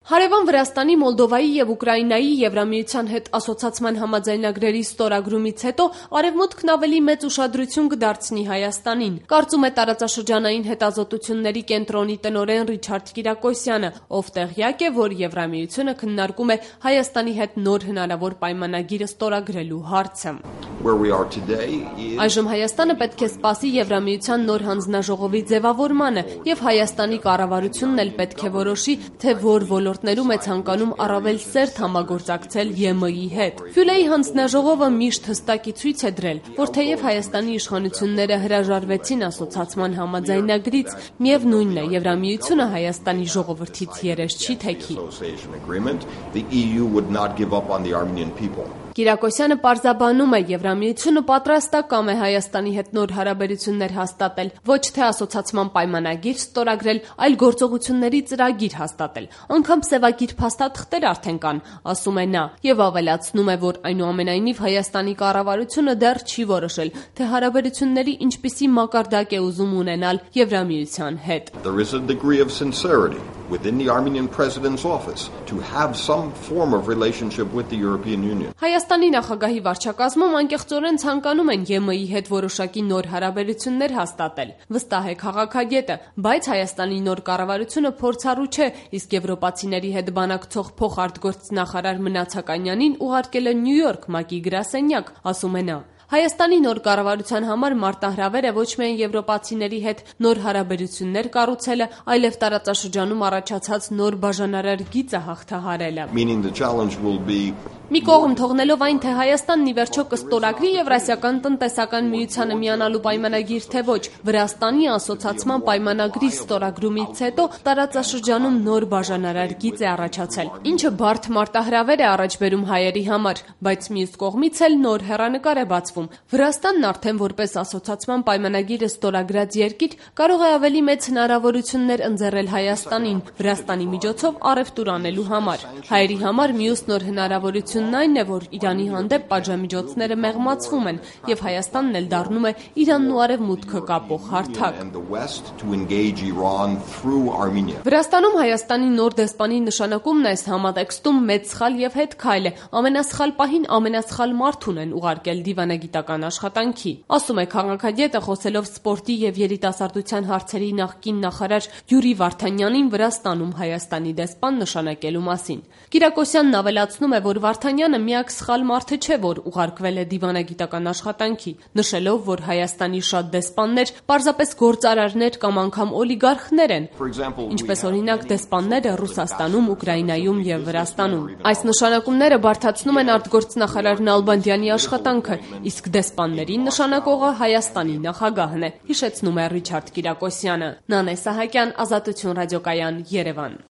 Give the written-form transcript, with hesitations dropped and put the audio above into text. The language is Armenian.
Հարևան Վրաստանի, Մոլդովայի և Ուկրաինայի Եվրամիության հետ ասոցացման համաձայնագրերի ստորագրումից հետո Արևմուտքն ավելի մեծ ուշադրություն կդարձնի Հայաստանին, կարծում է տարածաշրջանային հետազոտությունների կենտրոնի տնօրեն Ռիչարդ Կիրակոսյանը, ով տեղյակ է, որ Եվրամիությունը քննարկում է Հայաստանի հետ նոր հնարավոր պայմանագիր ստորագրելու հարցը։ Այժմ Հայաստանը պետք է սպասի Եվրամիության նոր հանձնաժողովի ձևավորմանը և Հայաստանի կառավարությունն էլ պետք է որոշի, թե որ ոլորտներում է ցանկանում առավել սերտ համագործակցել ԵՄ-ի հետ։ Ֆյուլեի հանձնաժողովը միշտ հստակի ցույց է դրել, որ թեև Հայաստանի իշխանությունները հրաժարվեցին ասոցացման համաձայնագրից, միևնույնն է, Եվրամիությունը Հայաստանի ժողովրդից երես չի թեքի։ Կիրակոսյանը պարզաբանում է, Եվրամիությունը պատրաստակամ է Հայաստանի հետ նոր հարաբերություններ հաստատել, ոչ թե ասոցացման պայմանագիր ստորագրել, այլ գործողությունների ծրագիր հաստատել։ Անգամ սևագիր փաստաթղթեր արդեն կան, ասում է նա, եւ ավելացնում է, որ այնուամենայնիվ Հայաստանի կառավարությունը դեռ չի որոշել, թե հարաբերությունների ինչպիսի մակարդակ է ուզում ունենալ Եվրամիության հետ։ Within the Armenian president's office to have some form of relationship with the European Union. Հայաստանի նախագահի վարչակազմում անկեղծորեն ցանկանում են ԵՄ-ի հետ որոշակի նոր հարաբերություններ հաստատել, վստահ է քաղաքագետը, բայց Հայաստանի նոր կառավարությունը փորձառու չէ, իսկ եվրոպացիների հետ բանակցող փոխարտգործնախարար Մնացականյանին ուղարկել է Նյու Յորք ՄԱԿ-ի գրասենյակ, ասում է նա։ Հայաստանի նոր կառավարության համար մարտահրավեր է ոչ միայն եվրոպացիների հետ նոր հարաբերություններ կառուցելը, այլև տարածաշրջանում առաջացած նոր բաժանարար գիծը հաղթահարելը։ Մի կողմ թողնելով այն, թե Հայաստանն ի վերջո կստորագրի Եվրասիական տնտեսական միությանը միանալու պայմանագիր, թե ոչ, Վրաստանի ասոցացման պայմանագրի ստորագրումից հետո տարածաշրջանում նոր բաժանարար գիծ է առաջացել, ինչը բարդ մարտահրավեր է առաջ բերում հայերի համար, բայց մյուս կողմից էլ նոր հեռանկար է բացվում։ Վրաստանն արդեն որպես ասոցացման պայմանագիրը ստորագրած երկիր կարող է ավելի մեծ հնարավորություններ ընձեռել Հայաստանին, Վրաստանի միջոցով առևտուր անելու համար։ Հայերի համար մյուս նոր հնարավորությունն այն է, որ Իրանի հանդեպ պատժամիջոցները մեղմացվում են, եւ Հայաստանն էլ դառնում է Իրանն ու Արևմուտքը կապող հարթակ։ Վրաստանում Հայաստանի նոր դեսպանի նշանակումն այս համատեքստում մեծ սխալ եւ հետ քայլ է, ամենասխալ պահին ամենասխալ մարդուն են ուղարկել դիվանագիտական աշխատանքի, ասում է քաղաքագետը, խոսելով սպորտի եւ երիտասարդության հարցերի նախկին նախարար Յուրի Վարդանյանին Վրաստանում Հայաստանի դեսպան նշանակելու մասին։ Կիրակոսյանն ավելացնում է, որ Վարդանյանը միակ սխալ մարդը չէ, որ ուղարկվել է դիվանագիտական աշխատանքի, նշելով, որ Հայաստանի շատ դեսպաններ պարզապես գործարարներ կամ անգամ օլիգարխներ են, ինչպես օրինակ դեսպանները Ռուսաստանում, Ուկրաինայում եւ Վրաստանում։ Այս նշանակումները բարդացնում են արտգործնախարար Նալբանդյանի աշխատանքը, իսկ դեսպաններին նշանակողը Հայաստանի նախագահն է, հիշեցնում է Ռիչարդ Կիրակոսյանը։ Նանե Սահակյան, Ազատություն ռադիոկայան, Երևան։